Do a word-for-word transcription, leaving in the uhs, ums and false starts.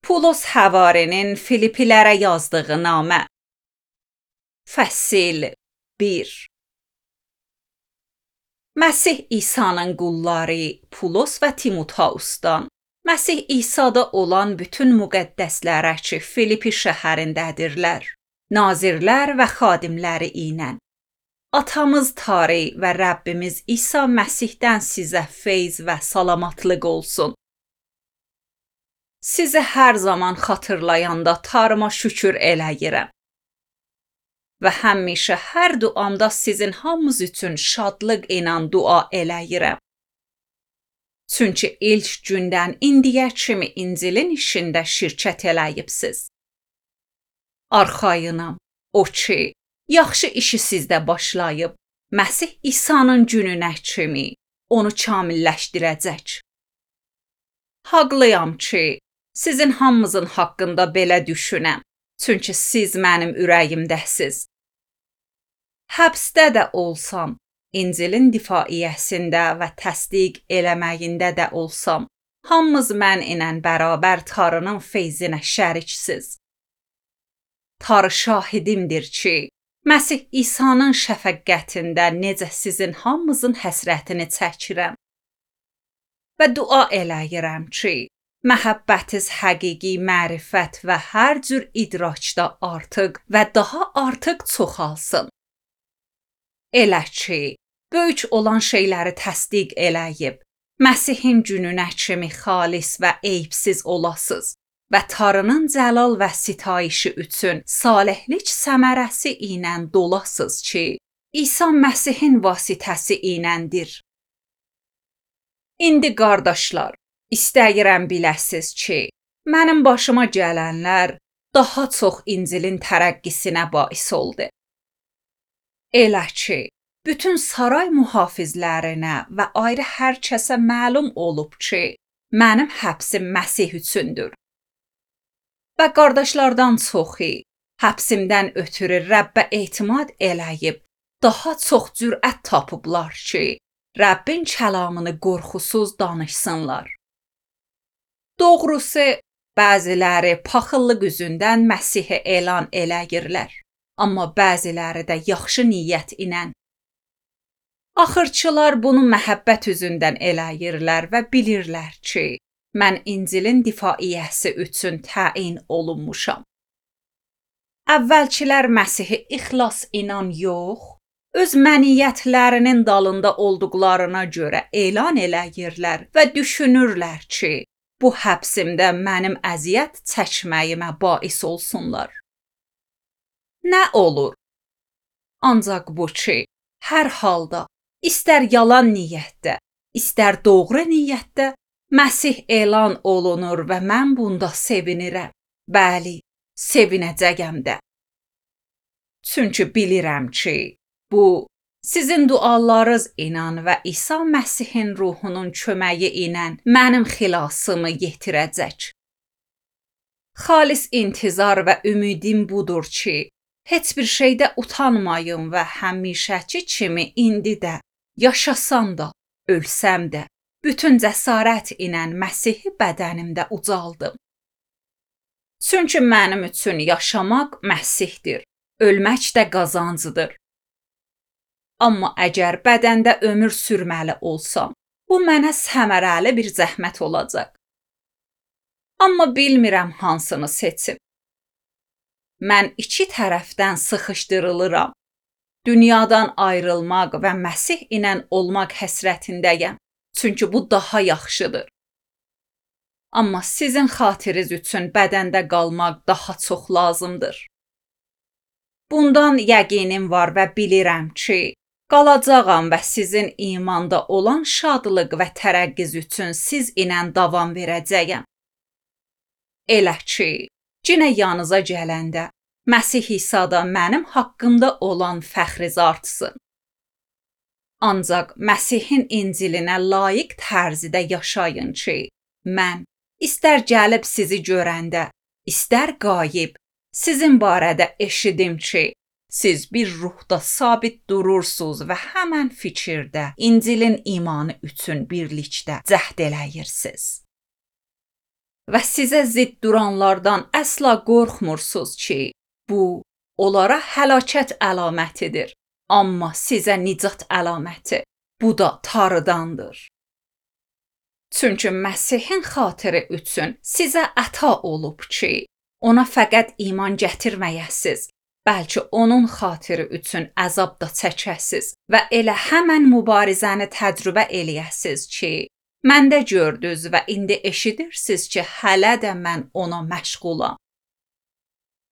Pulos Həvarinin Filippilərə yazdığı namə. Fəsil bir. Məsih İsa'nın qulları Pulos və Timoteusdan, Məsih İsa'da olan bütün müqəddəslərə ki, Filippi şəhərindədirlər, nazirlər və xadimləri ilə. Atamız Tanrı və Rəbbimiz İsa Məsihdən sizə feyz və salamatlıq olsun. Sizi hər zaman xatırlayanda Tanrıma şükür eləyirəm. Və həmişə hər duamda sizin hamınız üçün şadlıq ilə dua eləyirəm. Çünki ilk gündən indiyə kimi İncilin işində şirkət eləyibsiz. Arxayınam, o ki, yaxşı işi sizdə başlayıb, Məsih İsa'nın gününə kimi onu kamilləşdirəcək. Haqlıyam ki, sizin hamınızın haqqında belə düşünəm, çünki siz mənim ürəyimdəsiz. Həbsdə də olsam, İncilin difaiyəsində və təsdiq eləməyində də olsam, hamınız mən ilə bərabər Tanrının feyzinə şəriksiz. Tanrı şahidimdir ki, Məsih İsa'nın şəfəqqətində necə sizin hamınızın həsrətini çəkirəm. Və dua eləyirəm ki, məhəbbətiz həqiqi mərifət və hər cür idrakda artıq və daha artıq çoxalsın. Elə ki, böyük olan şeyləri təsdiq eləyib, Məsihin gününə kimi xalis və eyibsiz olasız və Tanrının cəlal və sitayişi üçün salihlik səmərəsi ilə dolasız ki, İsa Məsihin vasitəsi iləndir. İndi qardaşlar, istəyirəm biləsiz ki, mənim başıma gələnlər daha çox İncilin tərəqqisinə bais oldu. Elə ki, bütün saray mühafizlərinə və ayrı hər kəsə məlum olub ki, mənim həbsim Məsih üçündür. Və qardaşlardan çoxu həbsimdən ötürü Rəbbə etimad eləyib, daha çox cürət tapıblar ki, Rəbbin kəlamını qorxusuz danışsınlar. Doğrusu, bəziləri paxıllıq üzündən Məsihi elan eləyirlər, amma bəziləri də yaxşı niyyət ilə. Axırçılar bunu məhəbbət üzündən eləyirlər və bilirlər ki, mən İncilin difaiyəsi üçün təyin olunmuşam. Əvvəlkilər Məsihi ixlas inan yox, öz məniyyətlərinin dalında olduqlarına görə elan eləyirlər və düşünürlər ki, bu həbsimdə mənim əziyyət çəkməyimə bais olsunlar. Nə olur? Ancaq bu ki, hər halda, istər yalan niyyətdə, istər doğru niyyətdə, Məsih elan olunur və mən bunda sevinirəm. Bəli, sevinəcəyəm də. Çünki bilirəm ki, bu, sizin dualarınız ilə və İsa Məsihin ruhunun köməyi ilə mənim xilasımı yetirəcək. Xalis intizar və ümidim budur ki, heç bir şeydə utanmayım və həmişəki kimi indi də, yaşasam da, ölsəm də, bütün cəsarət ilə Məsihi bədənimdə ucaldım. Çünki mənim üçün yaşamaq Məsihdir, ölmək də qazancıdır. Amma əgər bədəndə ömür sürməli olsam, bu mənə səmərəli bir zəhmət olacaq. Amma bilmirəm hansını seçim. Mən iki tərəfdən sıxışdırılıram. Dünyadan ayrılmaq və Məsih ilə olmaq həsrətindəyəm, çünki bu daha yaxşıdır. Amma sizin xatiriniz üçün bədəndə qalmaq daha çox lazımdır. Bundan yəqinim var və bilirəm ki, qalacağam və sizin imanda olan şadlıq və tərəqqiz üçün siz ilə davam verəcəyəm. Elə ki, yenə yanınıza gələndə, Məsih İsa'da mənim haqqımda olan fəxriz artsın. Ancaq Məsihin İncilinə layiq tərzidə yaşayın ki, mən, istər gəlib sizi görəndə, istər qayıb, sizin barədə eşidim ki, siz bir ruhda sabit durursunuz və həmən fikirdə İncilin imanı üçün birlikdə cəhd eləyirsiniz. və sizə zidd duranlardan əsla qorxmursunuz ki, bu onlara həlakət əlamətidir, amma sizə nicat əlaməti. Bu da Tanrıdandır. Çünki Məsihin xatiri üçün sizə əta olub ki, ona fəqət iman gətirməyəsiz, bəlkə onun xatiri üçün əzab da çəkəsiz və elə həmən mübarizəni təcrübə eləyəsiz ki, məndə gördünüz və indi eşidirsiniz ki, hələ də mən ona məşğulam.